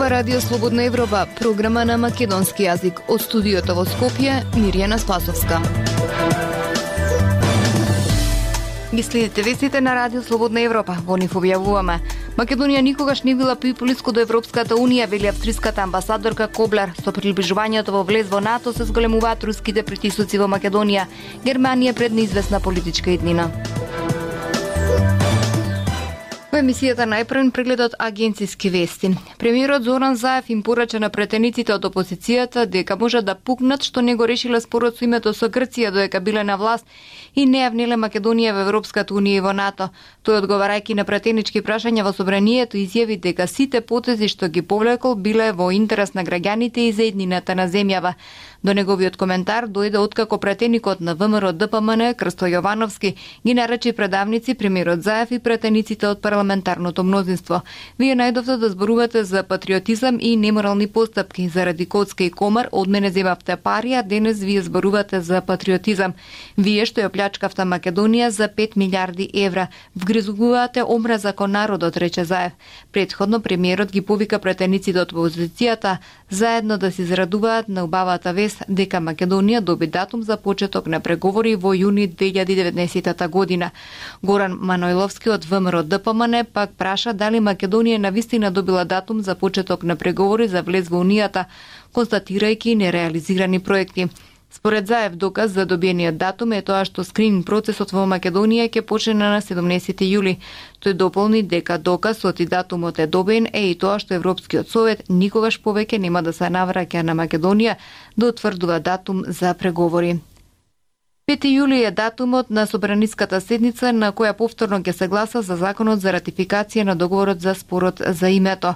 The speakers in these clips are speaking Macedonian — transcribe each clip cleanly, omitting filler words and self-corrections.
ова Радио Слободна Европа, програма на македонски јазик. Од студиото во Скопје, Мирјана Спасовска. Ги следите вестите на Радио Слободна Европа. Во нив објавуваме: Македонија никогаш не била поблиску до Европската унија, вели австриската амбасадорка Коблер. Со приближувањето во влез во НАТО се зголемуваат руските притисоци во Македонија. Германија пред неизвестна политичка иднина. Во емисијата најпрвен прегледот агенциски вести. Премиерот Зоран Заев им порача на претениците од опозицијата дека може да пукнат што не го решиле спорот со името со Грција додека биле на власт и не ја внеле Македонија во Европската унија и во НАТО. Тој, одговарајќи на претенички прашања во собранието, изјави дека сите потези што ги повлекол биле во интерес на граѓаните и за еднината на земјава. До неговиот коментар дојде откако претеникот на ВМРО ДПМН Крсто Јовановски ги наречи предавници премиерот Заев и претениците од парламентарното мнозинство. Вие најдовте да зборувате за патриотизам и неморални постапки. Заради коцка и комар од мене земавте пари, а денес вие зборувате за патриотизам. Вие што ја плячкавте Македонија за 5 милиарди евра. Вгризуваате омраза кон народот, рече Заев. Претходно премиерот ги повика претениците од опозицијата заедно да се израдуваат на убавата вест дека Македонија доби датум за почеток на преговори во јуни 2019 година. Горан Манойловски од ВМРО ДПМН пак праша дали Македонија навистина добила датум за почеток на преговори за влез во Унијата, констатирајќи нереализирани проекти. Според Заев, доказ за добиениот датум е тоа што скрининг процесот во Македонија ќе почне на 17 јули. Тој дополни дека доказот и датумот е добиен е и тоа што Европскиот совет никогаш повеќе нема да се навраќа на Македонија да утврдува датум за преговори. 5 јули е датумот на собраниската седница на која повторно ќе се гласа за законот за ратификација на договорот за спорот за името.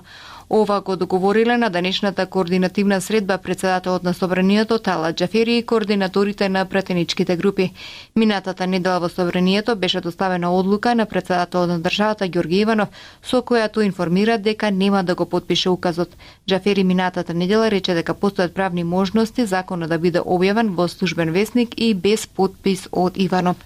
Ова го договориле на денешната координативна средба председателот на собранието Талат Џафери и координаторите на претеничките групи. Минатата недела во собранието беше доставена одлука на председателот на државата Ѓорги Иванов со која тој информира дека нема да го потпише указот. Џафери минатата недела рече дека постојат правни можности законот да биде објавен во службен весник и без потпис од Иванов.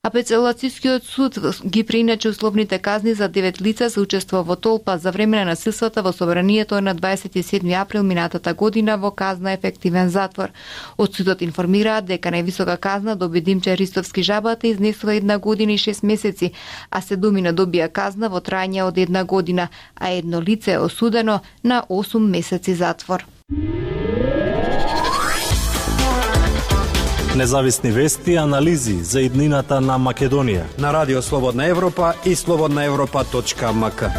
Апелацискиот суд ги приначи условните казни за 9 лица за учество во толпа за време на насилствата во собранието на 27 април минатата година во казна ефективен затвор. Од судот информираат дека највисока казна доби Димче Ристовски Жабата изнесува 1 година и 6 месеци, а седумина добија казна во трајање од 1 година, а едно лице е осудено на 8 месеци затвор. Независни вести и анализи за иднината на Македонија на Радио Слободна Европа и slobodnaevropa.mk.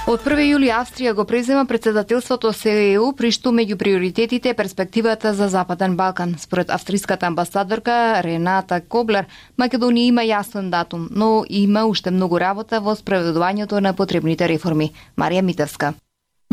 Од 1 јули Австрија го презема председателството со ЕУ, при што меѓу приоритетите е перспективата за Западен Балкан. Според австриската амбасадорка Рената Коблер, Македонија има јасен датум, но има уште многу работа во спроведувањето на потребните реформи. Марија Митевска.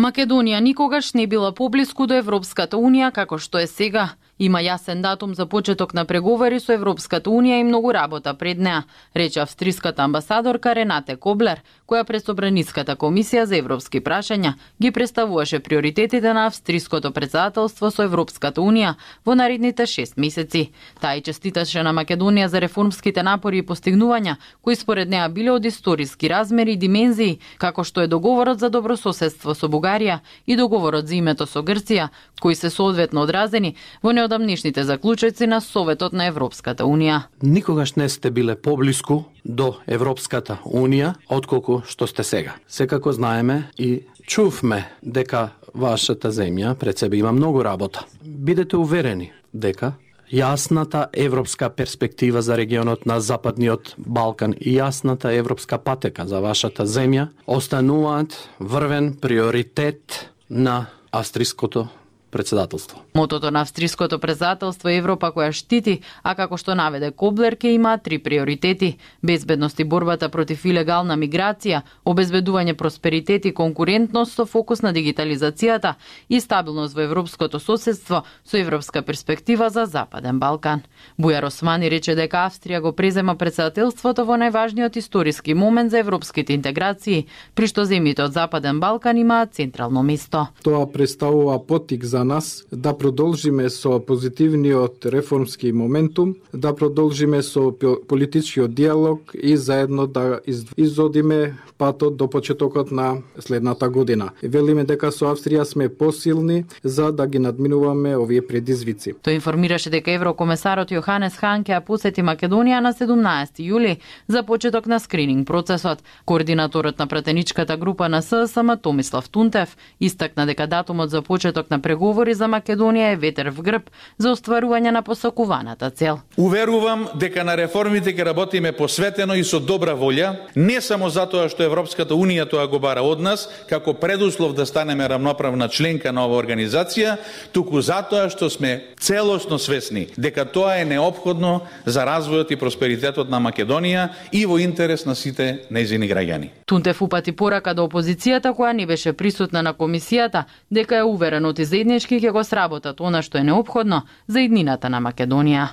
Македонија никогаш не била поблиску до Европската унија како што е сега. Има јасен датум за почеток на преговори со Европската унија и многу работа пред неа, рече австриската амбасадорка Ренате Коблер, која пред Собраниската комисија за европски прашања ги представуваше приоритетите на австриското председателство со Европската унија во наредните 6 месеци. Таа и честиташе на Македонија за реформските напори и постигнувања, кои според неа биле од историски размери и димензии, како што е договорот за добрососедство со Бугарија и договорот за името со Грција, кои се соодветно одразени во неодамнишните заклучоци на Советот на Европската унија. Никогаш не сте биле поблиску до Европската унија отколку што сте сега. Секако знаеме и чувме дека вашата земја пред себе има многу работа. Бидете уверени дека јасната европска перспектива за регионот на Западниот Балкан и јасната европска патека за вашата земја остануваат врвен приоритет на австриското председателство. Мотото на австриското председателство е Европа која штити, а како што наведе Коблер, ќе има 3 приоритети: безбедност и борбата против илегална миграција, обезбедување просперитет и конкурентност со фокус на дигитализацијата и стабилност во европското соседство со европска перспектива за Западен Балкан. Бујар Османи рече дека Австрија го презема председателството во најважниот историски момент за европските интеграции, при што земјите од Западен Балкан имаат централно место. Тоа представува поттик за за нас да продолжиме со позитивниот реформски моментум, да продолжиме со политичкиот диалог и заедно да изодиме патот до почетокот на следната година. Велиме дека со Австрија сме посилни за да ги надминуваме овие предизвици. Тој информираше дека еврокомесарот Јоханес Хан ќе посети Македонија на 17 јули за почеток на скрининг процесот. Координаторот на пратеничката група на ССМ Томислав Тунтев истакна дека датумот за почеток на преговори за Македонија е ветер в грб за остварување на посакуваната цел. Уверувам дека на реформите ќе работиме посветено и со добра волја, не само затоа што Европската Унија тоа го бара од нас, како предуслов да станеме рамноправна членка на оваа организација, туку затоа што сме целосно свесни дека тоа е неопходно за развојот и просперитетот на Македонија и во интерес на сите нејзини граѓани. Тунтев упати порака до опозицијата која не беше присутна на комисијата дека е уверен оти заеднички ќе го сработат она што е неопходно за иднината на Македонија.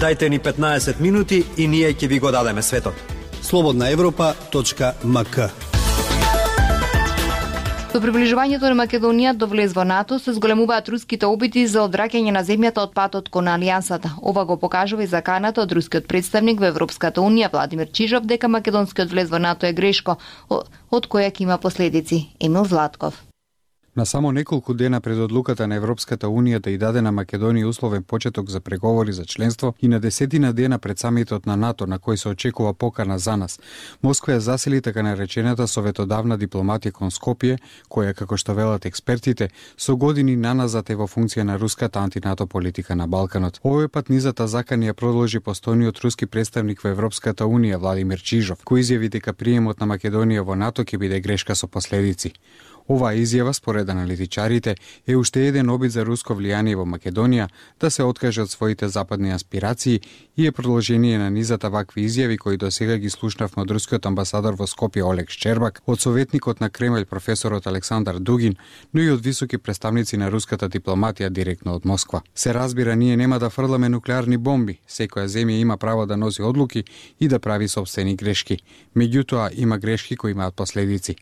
Дајте ни 15 минути и ние ќе ви го дадеме светот. slobodnaevropa.mk. Со приближувањето на Македонија до влез во НАТО се зголемуваат руските обиди за одвраќање на земјата од патот кон алијансата. Ова го покажува и заканата од рускиот представник во Европската Унија Владимир Чижов дека македонскиот влез во НАТО е грешко, од која ќе има последици. Емил Златков. На само неколку дена пред одлуката на Европската Унија да ја даде на Македонија условен почеток за преговори за членство и на 10 дена пред самитот на НАТО на кој се очекува покана за нас, Москва ја засили така наречената советодавна дипломатија кон Скопје, која, како што велат експертите, со години наназад е во функција на руската антинато политика на Балканот. Овој пат низата закани ја продолжи постојниот руски представник во Европската Унија Владимир Чижов, кој изјави дека приемот на Македонија во НАТО ќе биде грешка со последици. Оваа изјава, според аналитичарите, е уште еден обид за руско влијание во Македонија да се откаже од своите западни аспирации и е продолжение на низата вакви изјави кои досега ги слушнавме од рускиот амбасадор во Скопје Олег Шчербак, од советникот на Кремљ професорот Александар Дугин, но и од високи представници на руската дипломатија директно од Москва. Се разбира, ние нема да фрламе нуклеарни бомби, секоја земја има право да носи одлуки и да прави сопствени грешки. Меѓутоа, има грешки кои имаат последици.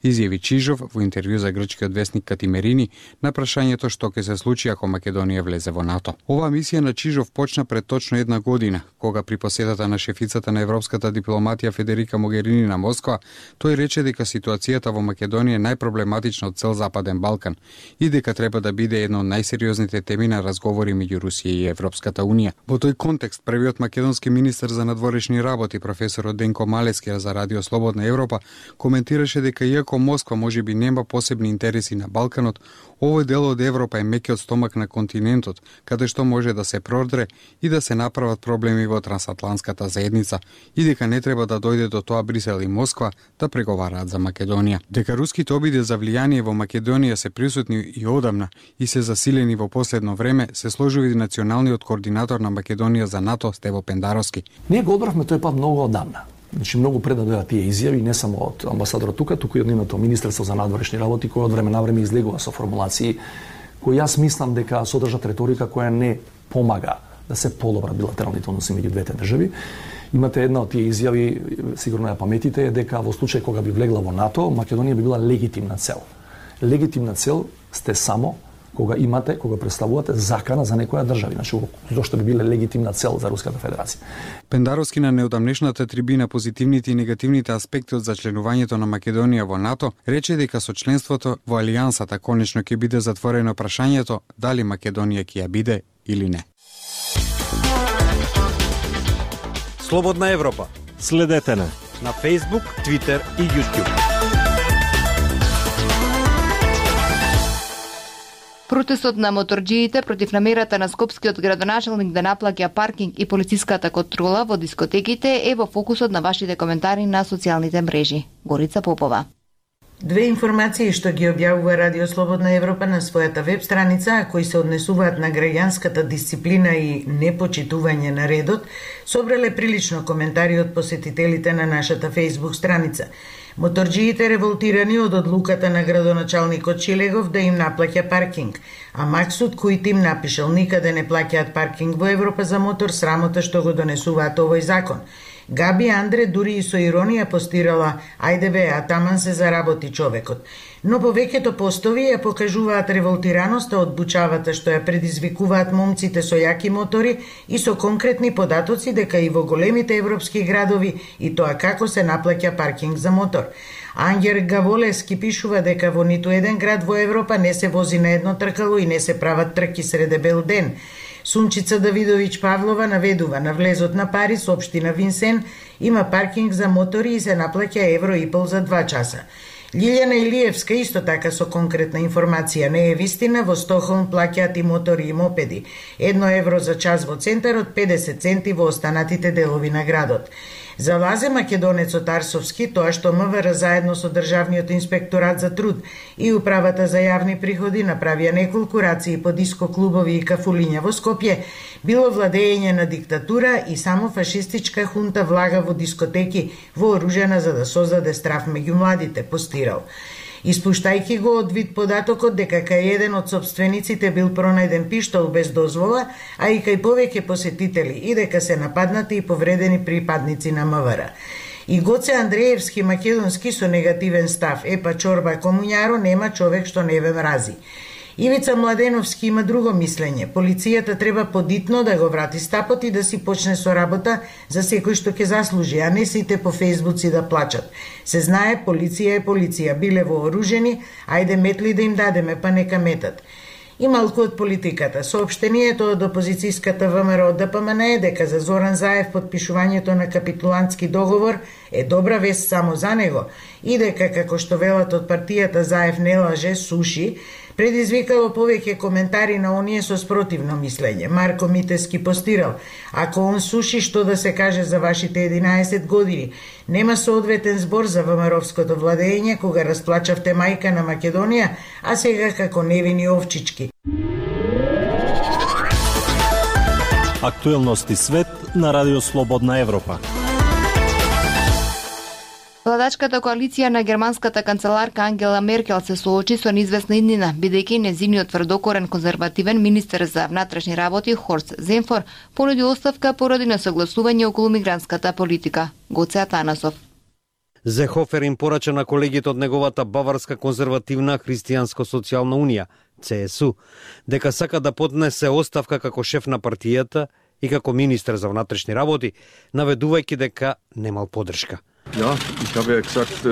Изјави Чижов во интервју за грчкиот весник Катимерини на прашањето што ќе се случи ако Македонија влезе во НАТО. Оваа мисија на Чижов почна пред точно една година, кога при посетата на шефицата на европската дипломатија Федерика Могерини на Москва, тој рече дека ситуацијата во Македонија е најпроблематична од цел Западен Балкан и дека треба да биде една од најсериозните теми на разговори меѓу Русија и Европската Унија. Во тој контекст, првиот македонски министер за надворешни работи професорот Денко Малески за Радио Слободна Европа коментираше дека иако Москва можеби нема посебни интереси на Балканот, овој дел од Европа е мекиот стомак на континентот, каде што може да се продре и да се направат проблеми во трансатлантската заедница и дека не треба да дојде до тоа Брисел и Москва да преговараат за Македонија. Дека руските обиди за влијание во Македонија се присутни и одамна и се засилени во последно време, се сложува и националниот координатор на Македонија за НАТО Стево Пендаровски. Ние го одбравме тој пат многу одамна. Значи, многу пред да дојдат тие изјави, не само од амбасадорот тука, туку и од нивното Министерство за надворешни работи, кој од време на време излегува со формулации кои јас мислам дека содржат реторика која не помага да се подобрат билатералните односи меѓу двете држави. Имате една од тие изјави, сигурно ја паметите, е дека во случај кога би влегла во НАТО, Македонија би била легитимна цел. Легитимна цел сте само кога представувате закана за некоја држава, значи зошто би биле легитимна цел за Руската Федерација. Пендаровски на неодамнешната трибина позитивните и негативните аспекти од зачленувањето на Македонија во НАТО рече дека со членството во алијансата конечно ќе биде затворено прашањето дали Македонија ќе ја биде или не. Слободна Европа. Следете на Facebook, Twitter и YouTube. Протестот на моторџиите против намерата на скопскиот градоначалник да наплаќа паркинг и полициската контрола во дискотеките е во фокусот на вашите коментари на социјалните мрежи. Горица Попова. Две информации што ги објавува Радио Слободна Европа на својата веб страница, кои се однесуваат на граѓанската дисциплина и непочитување на редот, собрале прилично коментари од посетителите на нашата Facebook страница. Моторџиите револтирани од одлуката на градоначалникот Чилегов да им наплаќа паркинг, а Максут кој им напишал никаде не плаќаат паркинг во Европа за мотор, срамота што го донесуваат овој закон. Габи Андре дури и со иронија постирала: "Ајде бе, а таман се заработи човекот." Но повеќето постови ја покажуваат револтираноста од бучавата што ја предизвикуваат момците со јаки мотори и со конкретни податоци дека и во големите европски градови и тоа како се наплаќа паркинг за мотор. Ангер Гаволески пишува дека во ниту еден град во Европа не се вози на едно тркало и не се прават трки среде бел ден. Сунчица Давидовиќ Павлова наведува: на влезот на Париз, општина Винсен, има паркинг за мотори и се наплаќа €1,5 за 2 часа. Лилјана Илиевска исто така со конкретна информација: не е вистина, во Стокхолм плаќаат и мотори и мопеди. €1 за час во центарот, 50 центи во останатите делови на градот. За Лазе македонецот Арсовски, тоа што МВР заедно со Државниот инспекторат за труд и Управата за јавни приходи направија неколку рации по диско клубови и кафулиња во Скопје, било владење на диктатура и само фашистичка хунта влага во дискотеки вооружена за да создаде страв меѓу младите, постирал. Испуштајќи го од вид податокот дека кај еден од собствениците бил пронајден пиштол без дозвола, а и кај повеќе посетители, и дека се нападнати и повредени припадници на МВР. И Гоце Андреевски македонски со негативен став: "Епа чорба комуњаро, нема човек што не ве мрази." Ивица Младеновски има друго мислење: полицијата треба подитно да го врати стапот и да си почне со работа за секој што ќе заслужи, а не сите по фејсбуци да плачат. Се знае, полиција е полиција, биле вооружени, ајде метли да им дадеме, па нека метат. И малку од политиката. Соопштението од опозицијската ВМРО ДПМН е дека за Зоран Заев подпишувањето на капитулантски договор е добра вест само за него и дека, како што велат од партијата Заев не лаже, суши, предизвикало повеќе коментари на оние со спротивно мислење. Марко Митески постирал: "Ако он суши, што да се каже за вашите 11 години? Нема соодветен збор за ВМРО-вското владење кога расплачавте мајка на Македонија, а сега како невини овчички." Актуелности свет на Радио Слободна Европа. Владачката коалиција на германската канцеларка Ангела Меркел се соочи со неизвестна иднина, бидејќи нејзиниот тврдокорен конзервативен министер за внатрешни работи Хорст Земфор понуди оставка поради несогласување околу мигрантската политика. Гоце Атанасов. Зехофер им порача на колегите од неговата баварска конзервативна христијанско-социјална унија, ЦСУ, дека сака да поднесе оставка како шеф на партијата и како министер за внатрешни работи, наведувајќи дека немал поддршка. Ja, ich habe ja gesagt,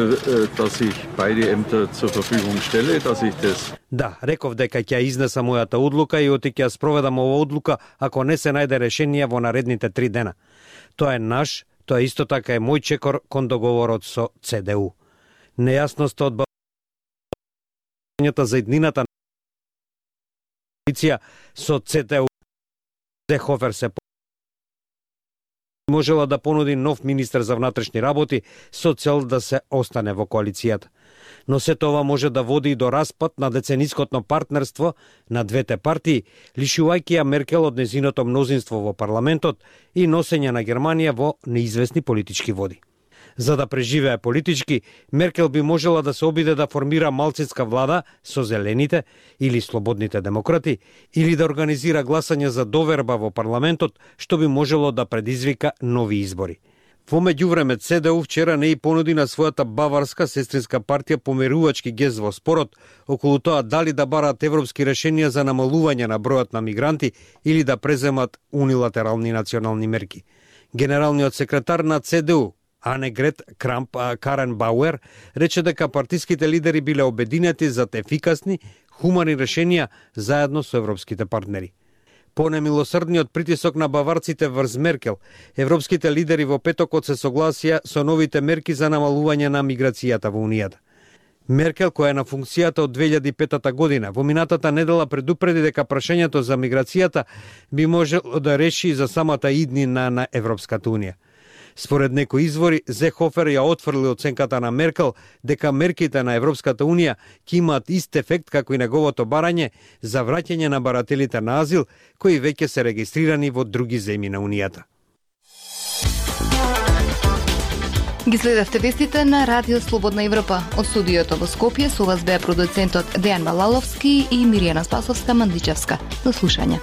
dass ich beide Ämter zur Verfügung stelle, dass ich das... Да, реков дека ќе изнеса мојата одлука и оти ќе спроведам ова одлука ако не се најде решение во наредните 3 дена. Тоа е наш, тоа исто така е мој чекор кон договорот со ЦДУ. Нејасноста од за иднината на коалиција со ЦДУ Зехофер се можела да понуди нов министер за внатрешни работи со цел да се остане во коалицијата. Но се тоа може да води и до распад на децениското партнерство на двете партии, лишувајќи ја Меркел од незиното мнозинство во парламентот и носење на Германија во неизвестни политички води. За да преживее политички, Меркел би можела да се обиде да формира малцинска влада со зелените или слободните демократи, или да организира гласање за доверба во парламентот, што би можело да предизвика нови избори. Во меѓувреме, ЦДУ вчера не и понуди на својата баварска сестринска партија помирувачки гест во спорот околу тоа дали да бараат европски решенија за намалување на бројот на мигранти или да преземат унилатерални национални мерки. Генералниот секретар на ЦДУ Анегрет Карен Бауер рече дека партиските лидери биле обединети за ефикасни, хумани решенија заедно со европските партнери. По немилосрдниот притисок на баварците врз Меркел, европските лидери во петокот се согласија со новите мерки за намалување на миграцијата во Унијата. Меркел, која е на функцијата од 2005 година, во минатата недела предупреди дека прашањето за миграцијата би можело да реши за самата иднина на Европската Унија. Според некои извори, Зехофер ја отфрли оценката на Меркел дека мерките на Европската Унија ќе имаат ист ефект како и неговото барање за враќање на барателите на азил, кои веќе се регистрирани во други земји на Унијата. Ги следевте вестите на Радио Слободна Европа. Од студиото во Скопје со вас беа продуцентот Дејан Малаловски и Миријана Спасовска-Мандичевска. До слушање.